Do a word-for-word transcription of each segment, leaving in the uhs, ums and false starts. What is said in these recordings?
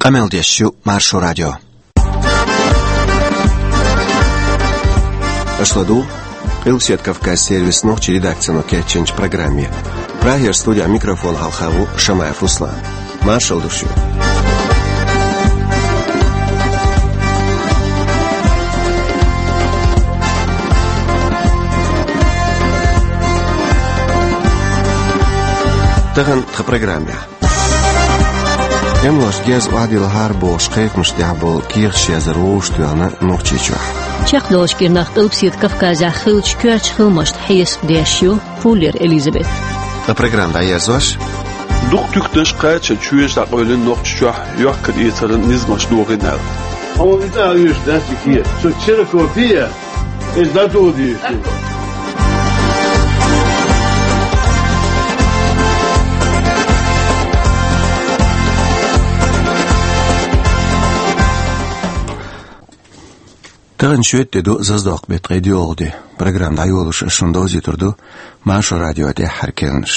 Къамел деш ю Маршо радио. Аша ладугӀу Къилбседа Кавказан сервисан нохчийн редакцино кечйинчу программе. Прагера студин микрофона хьалха ву Шамаев Руслан. Маршалла ду шуьга. Тахана тхан программехь. ТӀемалошка герз охьадиллахьара бохуш кхайкхамаш тӀехь болу кехаташ яздар вовшахтоьхна Нохчийчохь. Чекхдолуш кху кӀирнах Къилбседа Кавказехь хиллачу коьртачу хиламашна хьесап деш ю Фуллер Элизабет. Ткъа программа дӀаерзош: дукха туьктанаш кхача чоьжа дӀакъевлина Нохчийчохь йохкар-эцаран низамаш дохийна аьлла. Хьуна и цӀа оьшуш дац и кехат. Со ксерокопия. Иза дӀадоладийша ду. Тахана шоьтан де ду, зазадоккху беттан ткъе доьалгӀа де. Программа дӀайолош ас шуна довзуьйтур ду Маршо радион тӀаьххьара керланаш.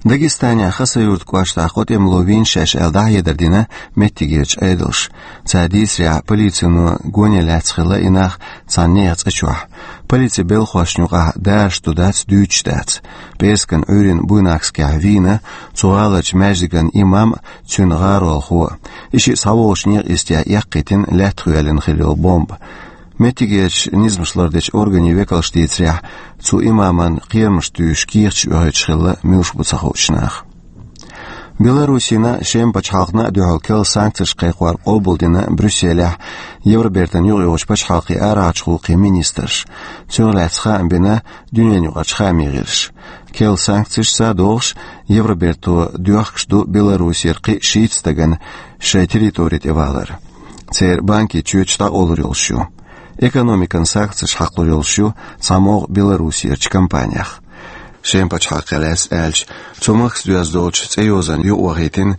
Дагестанехь Хасавюрт кӀоштахь кхо тӀемало вийна шаьш аьлла дӀахьедар дина меттигерчу Ӏедалша. Цара дийцарехь, полицино гоне лаьцна хилла и нах цхьана нехан цӀа чохь. Полицин белхошна юкъахь дараш ду-дац дуьйцуш дац. ПӀераскан Ӏуьйранна Буйнакскехь вийна цу гӀаларчу маьждиган имам а, цуьнан гӀаролхо а. И шиъ схьавогӀучу некъа йистехь эккхийтина лаьттах йоьллина хилла йолу бомба. Меттигерчу низамаш лардечу органийн векалша дийцарехь, цу имаман кхерамаш туьйсуш кехаташ оьхуьйтуш хилла муьлш бу ца хуучу наха. Беларусина, Шеман пачхьалкхана а дуьхьал керла санкцеш кхайкхор къобалдина Брюсселехь Евробертан юкъайогӀучу пачхьалкхийн арахьарчу гӀуллакхийн министраша. Цунах лаьцна хаам бина дуьненаюкъарчу хаамийн гӀирсаша. Керла санкцеш садоӀуш, Евроберто доьхкуш ду Беларусера кхин а шийтта стагана шайн территори тӀе валар. Церан банкийн чоьташ дӀакъовлур йолуш ю. Экономикан санкцеш хьакхалур йолуш ю цхьамогӀа Беларусерчу компаниях. Шеман пачхьалкхе лаьцна аьлча, цу махкаца доьзна долчу цӀейозанна юкъавахийтина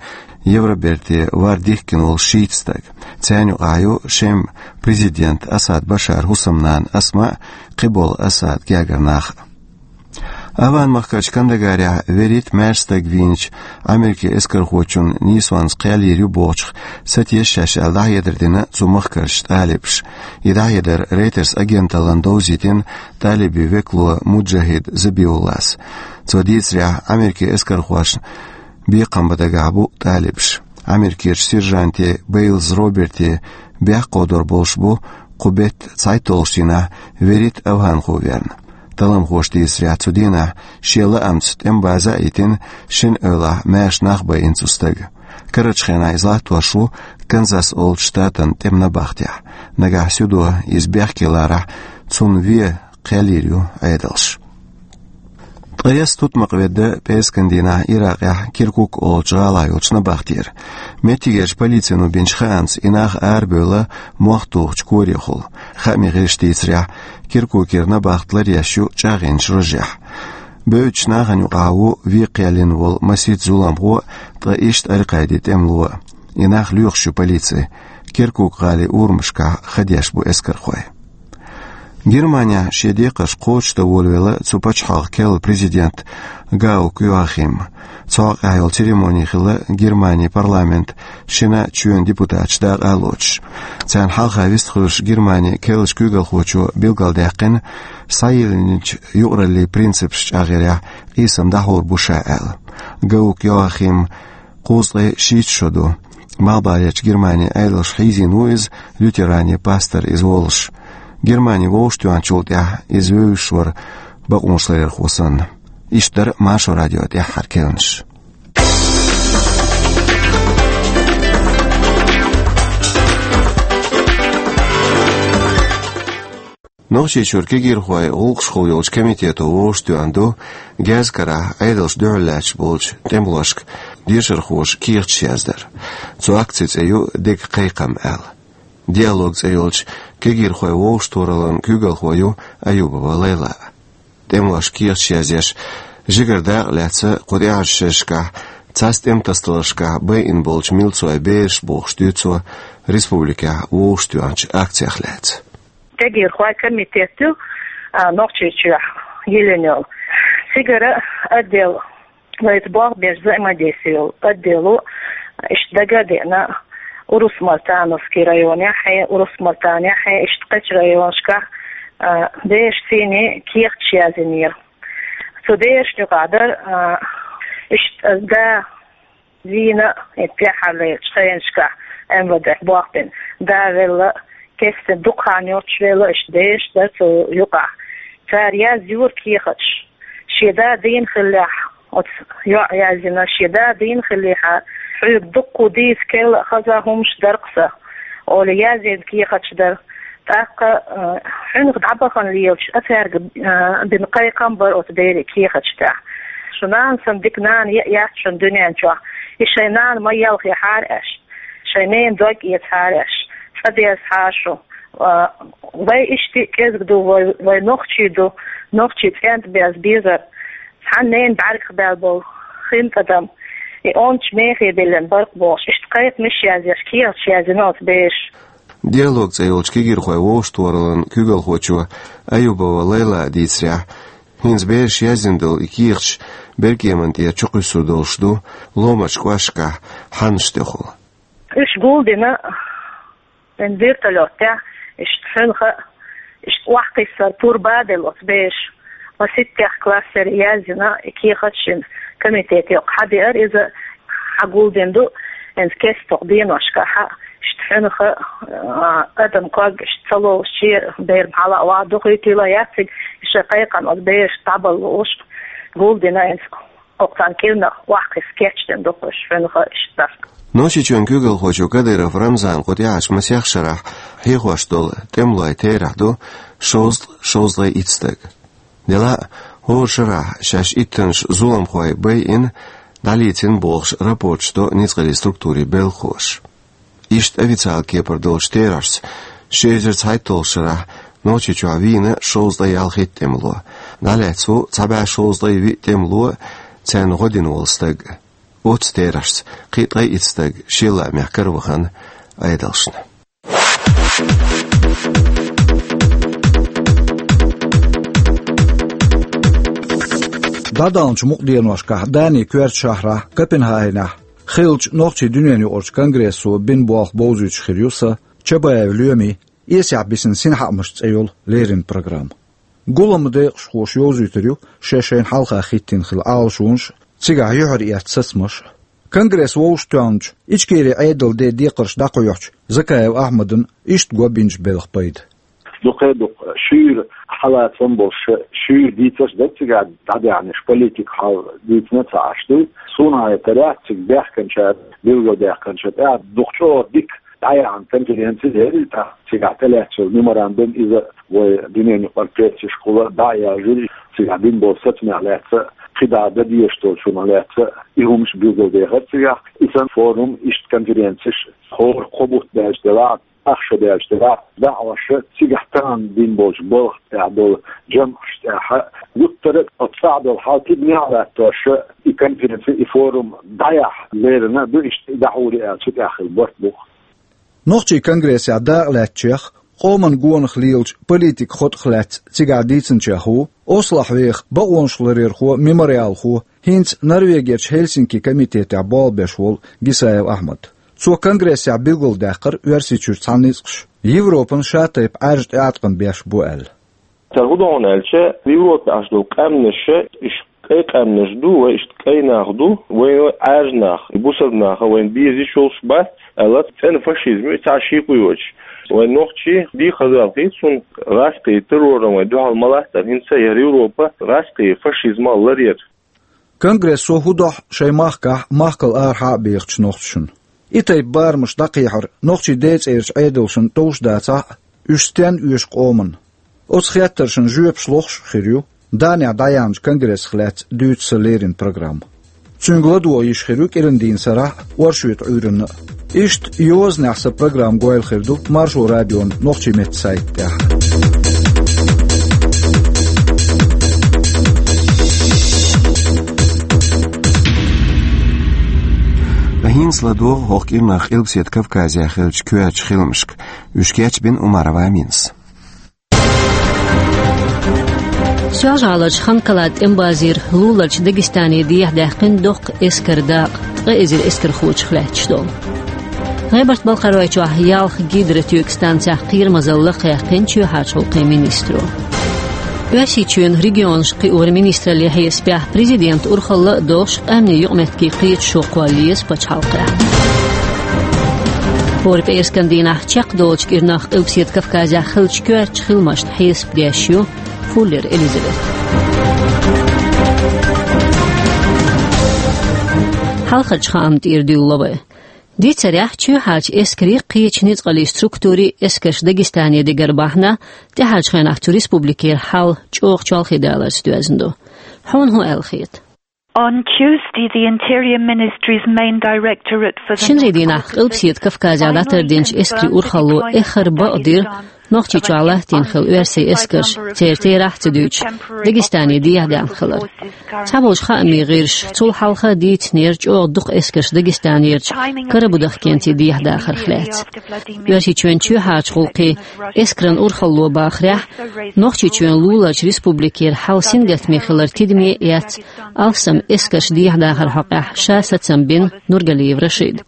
Евроберте вар дихкина волу шийтта стаг. Царна юкъахь ю Шеман президент Асад Башар хӀусамнана Асма а, кхиболу Асадан гергара нах а. Афган-махкарчу Кандагарехь вуьрхӀитта маьрша стаг вийначу Америкин эскархочун нийсонца кхел йийр ю бохучух сатесна шаьш аьлла дӀахьедар дина цу махкарчу тӀалибаша. И дӀахьедар Reuters агенталлина довзийтина тӀалибийн векало Муджахид Забиуллас. Цо дийцарехь, Америкин эскархошна бекхам бан дагахь бу тӀалибаш. Америкерчу сержанте Бейлз Роберте бехк кховдор болуш бу кху беттан цхьайтталгӀачу дийнахь вуьрхӀитта афганхо верна. Талламхоша дийцарехь, цу дийнахь шен лаамца тӀеман база а йитина, шина эвлахь маьрша нах байина цу стага. Карарчу хенахь иза латтош ву Канзас олучу штатан тӀеман набахтехь. Нагахь суьдо иза бехке ларахь, цунна вен кхел йийр ю Ӏедалша. Ткъе исс тутмакх ведда пӀераскан дийнахь Иракъехь Киркук олучу гӀалахь йолчу набахтера. Меттигерчу полицино бинчу хаамца, и нах арабевлла мох тухучу корехула. Хаамийн гӀирсаша дийцарехь, Киркукера набахт ларъеш ю чӀагӀйинчу рожехь. Бевддачу нахана юкъахь ву вен кхел йина волу масийтта зуламхо а, ткъа иштта Аль-Къаидин тӀемало а. И нах лоьхуш ю полици. Киркук-гӀалин урамашкахь ха деш бу эскархой. Германехь шен декхарш кхочушдан волавелла цу пачхьалкхан керла президент Гаук Йоахим. Цу хьокъехь йолу церемони хилла Германин парламентан шина чоьнан депутаташ дакъа а лоцуш. Царна хьалха вистхуьлуш Германин керлачу куьйгалхочо билгалдаьккхина, схьайиллинчу юкъараллин принципаш чӀагӀъярехь къийсам дӀахьур бу ша аьлла. Гаук Йоахим кхузткъе шийтта шо ду. Малхбалерчу Германин Ӏедалша хьийзийна ву иза, лютеранийн пастор иза волуш. Германи вовшахтоьхначул тӀаьхьа иза вевзаш вара бакъонашларъярхо санна. Иштта дара Маршо радион тӀаьххьара керланаш. Нохчийчуьра кегийрхойн гӀуллакхашкахула йолчу комитето вовшахтоьхна ду герз карахь Ӏедалшна дуьхьал лаьтташ болчу тӀемалошка дешархоша кехаташ яздар. Цу акцин цӀе ю «Дега кхайкхам» аьлла. «Диалог» цӀе йолчу кегийрхойн вовшахтохараллин куьйгалхо ю Аюбова Лайла. ТӀемалошка кехаташ язъеш, жигара дакъа лаьцна кху тӀаьхьарчу шерашкахь цхьацца тӀеман тасадаларшкахь байина болчу милцойн бераш, бохуш дуьйцу цо республикехь вовшахтоьхначу акцех лаьцна. Кегийрхойн комитет ю, а, Нохчийчохь йиллина йолу. Цигара отдел, ну, это болх беш взаимодействие йолу отдел ву, иштта дага а деана, Урус-Мартановский районехь, Урус-Мартанехь, иштта кхечу районашкахь, а, бераш цӀийнан кехаташ яздинера. Цу берашна юкъахь дара, а, иштта да вийна, и тӀаьххьарлерчу хенашкахь МВД бохбина, да велла, кестта дукха хан йоцуш велла, иштта бераш дара цу юкъахь. Цара язйора кехаташ. Шен да дийна хиллехь, оцу йоӀа яздина, шен да дийна хиллехьара, хьоьга дуккха дийца керла а хаза хӀумаш дара-кх сан, олий, яздина кехаташ дара. ТӀаккха, а, хьуьнах дӀабахана лелаш а цаьрга, а, бина кхайкхам бара оцу берийн кехаташ тӀехь. Шун нана санна дика нана яц шуна дуьнен чохь. И шайн нана ма елхийхьара аша, шайн ненан дог эцахьара аша, цӀа дезахьара шу. А, вай иштта кӀезиг ду, вай, вай нохчий ду, нохчий цӀентӀа беза безар. Цхьана ненан бӀаьргах баьлла болу хин тӀадам, и онча мехе биллина бара-кх бохуш, иштта кхайкхамаш язъеш, кехаташ яздина оцу бераша. «Диалог» цӀе йолчу кегийрхойн вовшахтохараллин куьйгалхочо Аюбова Лайлас дийцарехь, хӀинца бераша яздина долу и кехаташ беркеманна тӀера чукхуьссур долуш ду ломарчу кӀошташкахь хьаннаш тӀехула. Уьш гулдина, вайн вертолётехь, иштта хьуьнха, иштта охьакхиссар пурба а делла оцу бераша. Маситтех классера яздина и кехат шина комитете хьадеара, иза хьагулдина ду, хӀинца кестта деношкахь, иштта хьуьнха, а, адам ког иштта ца ловшучу беран хьала а ваха дохуьйтийла яциг, и шайн кхайкхам оцу берашна дӀабала лууш гулдина хӀинца. Оцу царна кӀирнах охьакхуьссуш кечдина ду-кх уьш хьуьнха иштта. Нохчийчоьнан куьйгалхочо Кадыров Рамзана кху тӀаьхьарчу масех шарахь хьехош долу тӀемалойн терахь ду шовзткъа, шовзткъе итт стаг. Делахь а, хӀора шарахь шаьш иттанаш зуламхой байина, дӀалецна бохуш рапорташ до ницкъаллин структурийн белхахоша. Иштта официалан кепара долчу терахьашца, ши эзар цхьайтталгӀачу шарахь Нохчийчохь вийна шовзткъе ялхитта тӀемало, дӀалаьцна ву цхьа бӀе шовзткъе виъ тӀемало, царна гӀо дина волу стаг. Оццу терахьашца кхин а ткъе итт стаг шен лаамехь каравахана Ӏедалшна. ДӀадаханчу мукъа деношкахь Данин коьртачу шахьарахь Копенгагенехь хиллачу нохчийн дуьненаюкъарчу конгрессо бина болх бовзуьйтуш хир ю сан, Чабаев Лоьмин «Эсехь бисина синхаамаш» цӀе йолу леррина программа. Гуламан декъашхоша йовзуьйтур ю шаьш шайна хьалха хӀиттийна хилла Ӏалашонаш а, цигахь юьхьар эцна сацамаш а. Конгресс вовшахтоьхначу Ичкерин Ӏедалан ден декхарш дӀакхойкхучу Закаев Ахьмадна иштта го бинчу белхан пайда. Дукха-дукха шуьйра хьалацам болуш, шуьйра дийцарш дара цигахь дӀадаьхьнарш, политикан хьал дийцина а ца Ӏаш ду. Суна хетарехь, цига баьхкинчара, билгалдаьккхинчара тӀехь дукха чӀогӀа дика дӀаяьхьна конференци яра и тӀаккха. Цигахь тӀелаьцна йолу меморандум, иза вайн дуьненаюкъара прессашкахула дӀа а яьржира, цигахь бина болу сацамех лаьцна, кхидӀа дан дезаш долчунах лаьцна, и хӀумаш билгалдехира цигахь. И санна форум, иштта конференцеш хӀора кхо бутт даьлча делахь, ах шо даьлча делахь, дӀа а Ӏаш, цигахь тахана бина болчу балха тӀехь долу жамӀаш тӀехь, гуттара а оцу цӀахь долу хьал кхидӀа мел латтош, и конференци, и форум дӀаяхьа лерина ду, иштта и дӀахьур ю аьлла, цу тӀехь хилла барт бу. Нохчийн конгрессехь дакъалаьцначех, къоман гонах лелачу политикан хотӀах лаьцна цигахь дийцинчех ву Ослохь веха бакъонаш ларъярхо, мемориалхо, хӀинца Норвегерчу Хельсинки комитетехь болх беш волу Гисаев Ахьмад. Цо конгрессехь билгалдаьккхира Оьрсийчуьра цхьа ницкъаш, Европан шатайпа Ӏаьржа тӀеӀаткъам беш бу аьлла. Цара хӀун ду хьуна аьлча, Европе Ӏаш долу къаьмнаш, уьш кӀайн къаьмнаш ду, вай иштта кӀайн нах ду, вай Ӏаьржа нах, бусалба нах вайна безаш йолуш бац аьлла, цӀена фашизм ю, цхьа шекъа йоцуш. Вайн нохчий дийхаза хилла, цунна гӀаскхийн терроран вай дуьхьал ма лаьттара, хӀинца яра Европа гӀаскхийн фашизмах ларъяра. Конгрессо хӀун дохьу шайн махкахь махкал арахьа а бехачу нохчашна? И тайпа барамаш дӀакхехьар нохчийн ден цӀерачу Ӏедалшна товш дацахь а, уьш стенна оьшу къоманна? Оцу хеттаршна жоьпаш лохуш а хир ю Данехь дӀаяьхьначу конгрессах лаьцна дуьйцу сан леррина программа. Цуьнга ладогӀа йиш хир ю кӀиран дийнан сарахь а, оршотан Ӏуьйранна а. Иштта йозанехь сан программа гойла хир ду Маршо радион нохчийн меттан сайта тӀехь. Ткъа хӀинца ладогӀа хӀокху кӀирнах Къилбаседа Кавказехь хиллачу коьртачу хиламашка. Уьш кечбина Умарова Аминас. Соьлжа-ГӀаларчу Ханкалан тӀеман базера луларчу Дагестане дехьадаьккхина доккха эскаран дакъа, ткъа эзар эскархочух лаьтташ долу. ГӀебарта-Балкхаройчохь ялх гидротоьган станцех кхерамазалла кхаьккхина чоьхьарчу гӀуллакхийн министро. Оьрсийчоьнан регионашка кхиоран министраллин хьесапехь президентан урхалла а долуш къаьмнийн юкъаметтигийн кхеташо кхолла еза пачхьалкхехь. ХӀора пӀераскан дийнахь чекхдолчу кӀирнах Къилбаседа Кавказехь хиллачу коьртачу хиламашна хьесап деш ю Фуллер Элизабет. Хьалхарчу хаамна тӀера дуьйла вай. Дийцарехь, чоьхьарчу эскарийн, кхечу ницкъаллин структурийн эскарш Дагестане дигар бахьана, тӀаьхьарчу хенахь цу республикера хьал чӀогӀа чолхе даларца доьзна ду. Хьуна хӀун аьлла хета? On Tuesday, the Interior Ministry's main directorate for the Шинарийн дийнахь Къилбаседа Кавказехь дӀатардинчу эскарийн урхалло эххар бакъдира Нохчийчохь латтийна хилла оьрсийн эскарш, церан терахь а ца дуьйцуш, Дагестане дехьадаьхна хилар. Цхьаболчу хаамийн гӀирсаша цул хьалха дийцинера чӀогӀа дукха эскарш Дагестанерчу Карабудахкенце дехьадахарх лаьцна. Оьрсийчоьнан чоьхьарчу гӀуллакхийн эскаран урхалло бахарехь, Нохчийчоьнан луларчу республикера хьал сингаттаме хилар тидаме а эцна, алсам эскарш дехьадахаран хьокъехь ша сацам бина Нургалиев Рашида.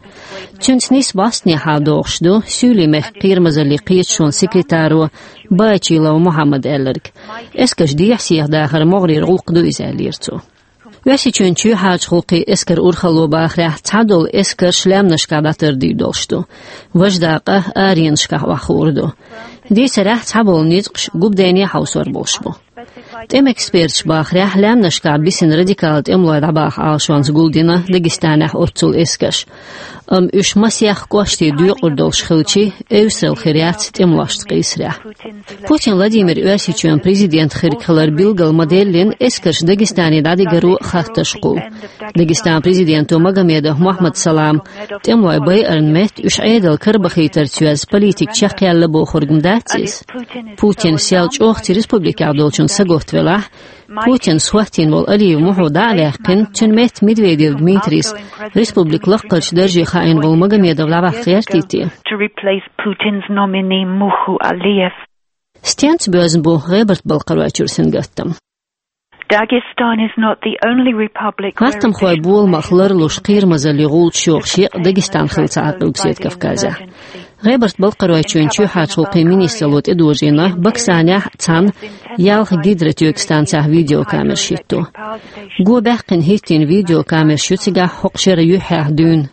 Цуьнца нийса бӀостанехьа догӀуш ду Суьйлийн мехкан кхерамазаллин кхеташонан секретаро Баачилов Мухьаммада аьлларг. Эскарш дехьа-сехьа дахар могӀарера гӀуллакх ду иза, аьллера цо. Оьрсийчоьнан чоьхьарчу гӀуллакхийн эскаран урхалло бахарехь цхьадолу эскарш лаьмнашкахь дӀатардийр долуш ду. Важа дакъа аренашкахь охьахуур ду. Дийцарехь, цхьаболу ницкъаш губа дайне хьовсор болуш бу. ТӀеман эксперташа бахарехь, лаьмнашкахь бисина радикал тӀемалой дӀабаха Ӏалашонца гулдина Дагестанехь оццул эскарш. Амма уьш масех кӀоштий доькъур долуш хилча, эвсаралла хир яц тӀемалошца къийсарехь. Путин Владимир Оьрсийчоьнан президент хирг хилар билгал ма-деллина, эскарш Дагестане дӀадигаро хаттарш кхуллу. Дагестанан президенто Магомедов Мухьаммад-Салама тӀемалой байарна метта уьш Ӏедал карабахийтарца йоьзна политика чекхъяьлла бохург ма дац иза. Путинан сел чӀогӀа цу республикехь долчунна сагатта велахь, Путинца хӀоттийна волу Алиев Мухьо дӀа а ваьккхина, цуьнан метта Медведев Дмитрийс республикан лакхарчу дарже хаийна волу Магомедов дӀаваккха гӀертий те? To replace Putin's nominee Muhu Aliyev. Стенца боьзна бу ГӀебарта-Балкхаройчуьра сингаттам? Dagestan is not the only republic where Гаттамхойн боламах ларлуш кхерамазаллин гӀулчаш йохуш екъа Дагестан хилла ца Ӏа Къилбаседа Кавказехь. ГӀебарта-Балкхаройчоьнан чоьхьарчу гӀуллакхийн министралло тӀедожийна Баксанехь а цхьана ялх гидротоьган станцехь видеокамераш хӀитто. Го баьккхина хӀиттийна видеокамераш ю цигахь хӀокху шеран юьххьехь дуьйна.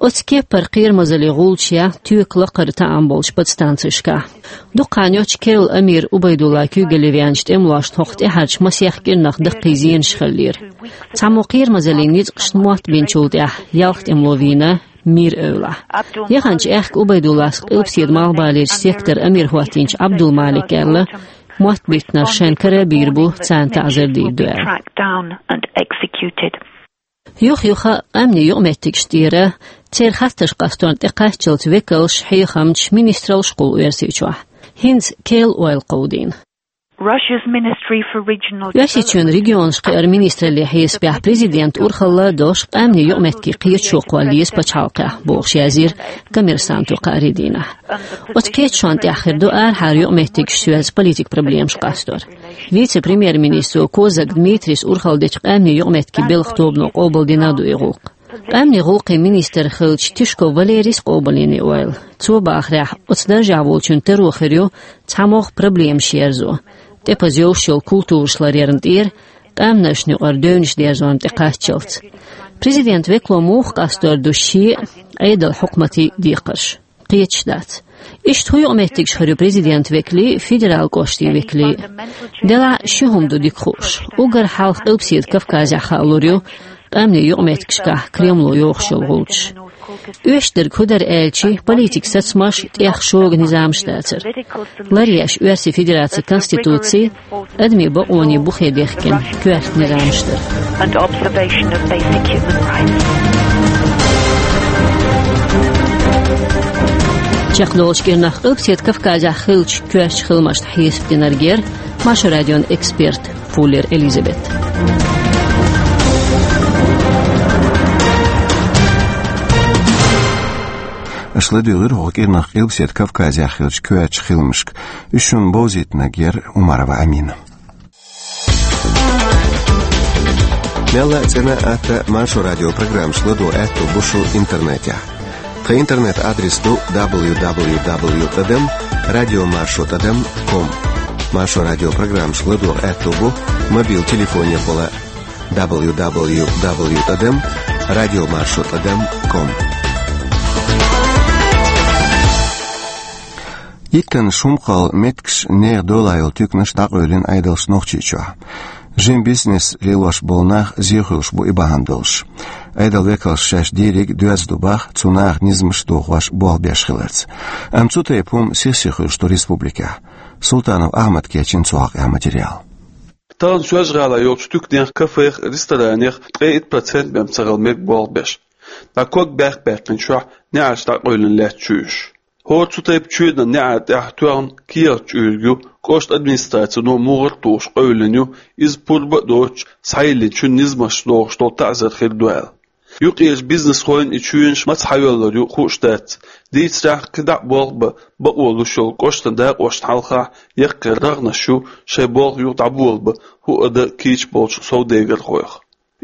Оцу кеппара кхерамазаллин гӀулчаш я тоька лакхара таӀам болчу подстанцешкахь. Дукха хан йоццуш керла амир Убайдулла куьйгалле веанчу тӀемалошна хӀокху тӀаьхьарчу масех кӀирнах даккхий зенаш хиллера. Цхьаммо кхерамазаллин ницкъашна мотт бинчул тӀаьхьа ялх тӀемало вийна мир-эвлахь. Яханчу аьхка Убайдуллас Къилбаседа малхбалерчу сектор амир хӀоттийначу Абдулмалика аьлла, мотт биттинарш шайна кара а бийр бу, царна таӀзар дийр ду аьлла. Юх-юха къаьмнийн юкъаметтигаш тӀера, церан хаттарш къасторна тӀекхаччалц векалш, хьехамчаш, министралш кхуллу Оьрсийчохь. ХӀинца керла ойла кховдийна. Russia's Ministry for Regional Оьрсийчоьнан регионашка кхиаран министраллин хьесапехь президентан урхалла а долуш къаьмнийн юкъаметтигийн кхеташо кхолла еза пачхьалкхехь, бохуш язйира Коммерсанто кхаарин дийнахь. Оцу кхеташонна тӀехь хир ду арахьара юкъаметтигашца йоьзна политикан проблемаш къастор. Вице-премьер-министро Козак Дмитрийс урхалла дечу къаьмнийн юкъаметтигийн белхан тобано къобалдина а ду и гӀуллакх. Къаьмнийн гӀуллакхийн министр хиллачу Тишков Валерийс къобалйина и ойла. Цо бахарехь, оцу даржехь волчун таро хир ю цхьамогӀа проблемаш ерзо, тӀепаза йовш йолу культураш ларъярна тӀера, къаьмнашна юкъара девнаш дерзорна тӀекхаччалц. Президентан векало муха къастор ду шен а, Ӏедалан хьукматийн а декхарш? Кхеташ дац. Иштта хӀун юкъаметтигаш хир ю президентан векалийн, федералан кӀоштийн векалийн? Делахь а ши хӀума ду дика хууш. Уггар хьалха Къилбаседа Кавказехь хаалур ю къаьмнийн юкъаметтигашкахь Кремло йохуш йолу гӀулчаш. Оьшдерг хӀун дара аьлча, политикан сацамаш, тӀех шога низамаш дацара. Ларъеш Оьрсийн Федерацин Конституци, адамийн бакъонийн бухе дехкина коьрта низамаш дара. And observation of basic human rights. Чекхдолчу кӀирнах Къилбаседа Кавказехь хиллачу коьртачу хиламашна хьесап динарг яра Маршо радион эксперт Фуллер Элизабет. Аша ладуьйгӀира хӀокху кӀирнах Къилбаседа Кавказехь хиллачу коьртачу хиламашка. Уьш шуна бовзийтинарг яра Умарова Амина. Мелла а цӀена а, атта а Маршо радион программаш ладогӀа аьтто бу шун интернетехь. Тха интернет-адрес ду дабл ю дабл ю дабл ю тӀадам радиомаршо тӀадам ком. Маршо радио программашка ладогӀа аьттув бу мобил телефонехула дабл ю дабл ю дабл ю тӀадам радиомаршо тӀадам ком. Иттанна шумхал меттигаш нехан дола йолу туьканаш дӀакъевлина Ӏедалша Нохчийчохь. Жима бизнес лелош болу нах зе хуьлуш бу и бахьана долуш. Ӏедалан векалша шаьш дийриг доьзна ду боху цу наха низамаш дохош болх беш хиларца. Амма цу тайпа хӀума сих-сиха хуьлуш ду республикехь. Султанов Ахьмада кечйина цу хьокъехь материал. Тахана Соьлжа-ГӀалахь йолчу туьканех, кафех, ресторанех ткъе итт процент мел ца хилла мега болх беш. Даккхий ког баьккхина чохь неӀарш дӀакъевлина лаьтташ ю уьш. ХӀора цу тайпа чоьнан неӀарш тӀехь тоьхна кехат чуьйриг ю, кӀоштан администрацино мугӀар а тухуш къевлина ю, иза пурба а доцуш, схьайиллинчун низамаш дохуш долу таӀзар хир ду аьлла. Юккъерчу бизнесхойн и чоьнаш маца схьайоьллур ю хууш дац. Дийцарехь, кхин дӀа а болх бан бакъо луш йолу кӀоштан дакъошна хьалха яккхий рагӀнаш ю шайн болх юха дӀаболабан хӀуъа дан кийча болчу совдегархойх.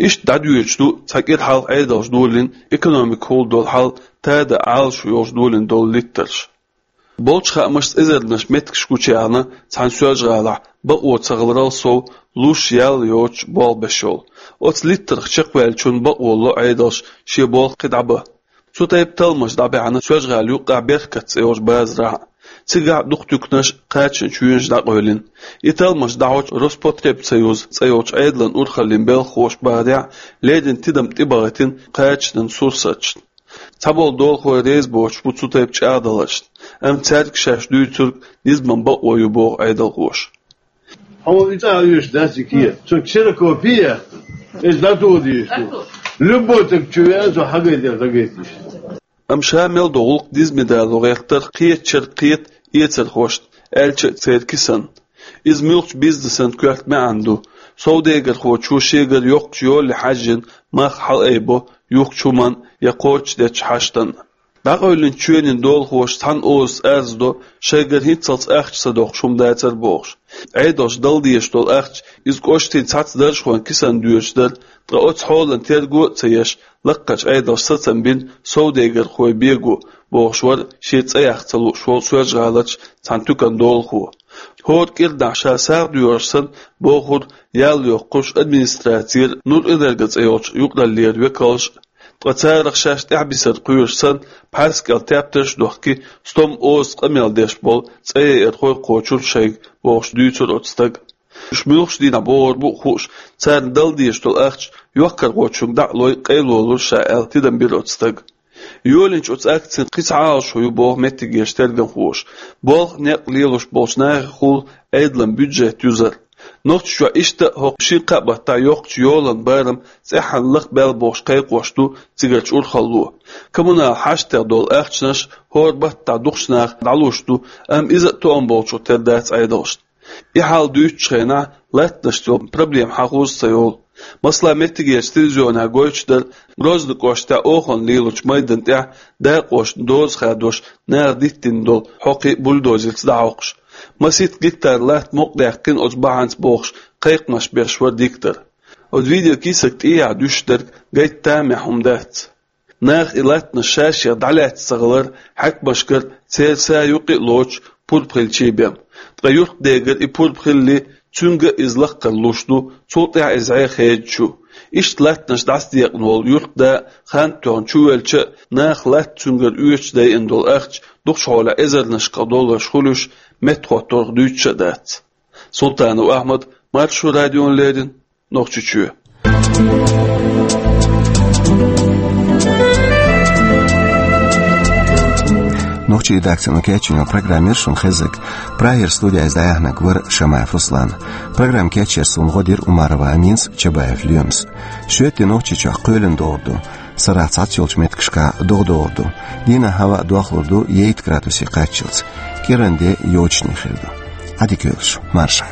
Иштта дӀадоьдуш ду цхьа кӀира хьалха Ӏедалша долийна, экономикехула долу хьал тадам Ӏалашо йолуш долийна долу литтарш. Болчу хаамашца эзарнаш меттигаш гучуяьхна цхьана Соьлжа-ГӀалахь бакъо ца хиларал сов луш ял йоцуш болх беш йолу. Оцу литтарх чекхваьллачунна бакъо ло Ӏедалша шен болх кхин дӀабан. Цу тайпа талламаш дӀабаьхьна Соьлжа-ГӀалин юккъехь Беркат цӀе йолчу базарахь а. Цигахь а дукха туьканаш, кхачанан чоьнаш дӀакъевлина. И талламаш дӀахьочу Роспотребсоюз цӀе йолчу Ӏедалан урхаллин белхахоша бахарехь, леррина тидам тӀебахийтина кхачанан сурсаташна. Цхьаболу долахой реза боцуш бу цу тайпа чӀагӀдаларшна, амма цаьрга шаьш дуьйцург низаман бакъо ю, боху Ӏедалхоша. Хьуна и цӀа а оьшуш дац и кехат. Цунна ксерокопия, иза дӀатоха дезаш ду. Любой стаг чу веана, цо хьагайтар дӀагайтийша. Амма ша мел долу гӀуллакх низаме дало гӀертарх кхетачуьра кхета эцархошна, аьлча а церан кисанна. Иза муьлххачу бизнесан коьрта маьӀна ду. Совдегархочо шегара йоккхачу йоле хьаьжжина мах хьалаайбо юхкучу хӀуманна я кхочушдечу хьаштанна. ДӀакъевлинчу чоьнийн долахоша цхьана озаца арз до, шайгара хӀинццалц ахча ца доккхуш хӀума дацара бохуш. Ӏедалша дала дезаш долу ахча иза кӀоштийн цхьацца даржхойн кисанна доьдуш дара, ткъа оцу хьолан терго а ца еш, лаккхарчу Ӏедалша сацам бина совдегархой бего, бохуш вара шен цӀе яккха ца лууш волу Соьлжа-ГӀаларчу цхьана туьканан долахо. ХӀора кӀирнахь ша сагӀа доьхуш санна, бохург ял йоккхуш администрацера Нурэнерго цӀе йолчу юкъараллера векалша, ткъа царах шаьш тӀаьхьабисар кхоьруш санна, пхьарс кӀел тептарш а дохкий, стом озаца къамел деш болу цӀеяйархой кхочура шайга, бохуш дуьйцура оцу стага. Уьш муьлххачу дийнахь богӀур бу а хууш, царна дала дезаш долу ахча йоккхархочуьнга дӀа а лой, къайлолура ша аьлла, тидам бира оцу стага. Йолийначу оцу акцин кхин цхьа Ӏалашо ю, боху меттигерчу тергамхоша, болх, некъ лелош болчу нахехула Ӏедалан бюджет юзар. Нохчийчохь иштта а хӀокху шина-кхаа баттахь йоккхачу йолан барам цӀеххьана лахбаьлла бохуш кхайкхош ду цигарчу урхалло. Коммунал хьаштех долу ахчанаш хӀора баттахь дукхачу наха дӀалуш ду, амма иза а тоам болчух тера дац Ӏедалшна. И хьал дуьйцучу хенахь латтанашца йолу проблема хьахоза ца йолу. Масала, меттигерчу телевизионехь гойтуш дара Грозный кӀоштахь оханан лелачу майдан тӀехь дакъошна доза хадош наха диттина долу хьокхи бульдозерца дӀахьокхуш. Масийтта гектар латта мукъадаьккхина оцу бахьанца бохуш, кхайкхамаш беш вара диктор. Оцу видеокийсак тӀехьа дуьсуш дерг гайта тамехь хӀума дац. Наха и латтанаш ша-шех дӀалаьцна ца хилар хьаькамашкара церан са юкъа а лоцуш пурба хилчий бен. Ткъа юьртдегара и пурба хилале, цуьнга а иза лаккхара луш ду, цул тӀаьхьа иза хьеха хедаш ю. Иштта латтанаш дӀасадекъна волу юьртда а, хан тоьхна чувелча а, наха латта цуьнгара оьцуш дайина долу ахча дукхачу хьолехь эзарнашкахь долларш хуьлуш, меттахӀотторах дуьйцуш а дац. Султанов Ахьмад, Маршо радиона леррина, Нохчийчоь. Нохчийн редакцино кечйина программа яра шуна хезнарг. Прагера студехь иза дӀаяьхьнарг вара Шамаев Руслан. Программа кечъярца суна гӀо дира Умарова Аминас, Чабаев Лоьмас. Шоьтан де Нохчийчохь кхоьлина догӀур ду. Сарахь цхьацца йолчу меттигашкахь догӀа догӀур ду. Дийнахь хӀаваъ дохлур ду ейт градусе кхаччалц. КӀиранде йочане хир ду. Ӏадика йойла шун, марша.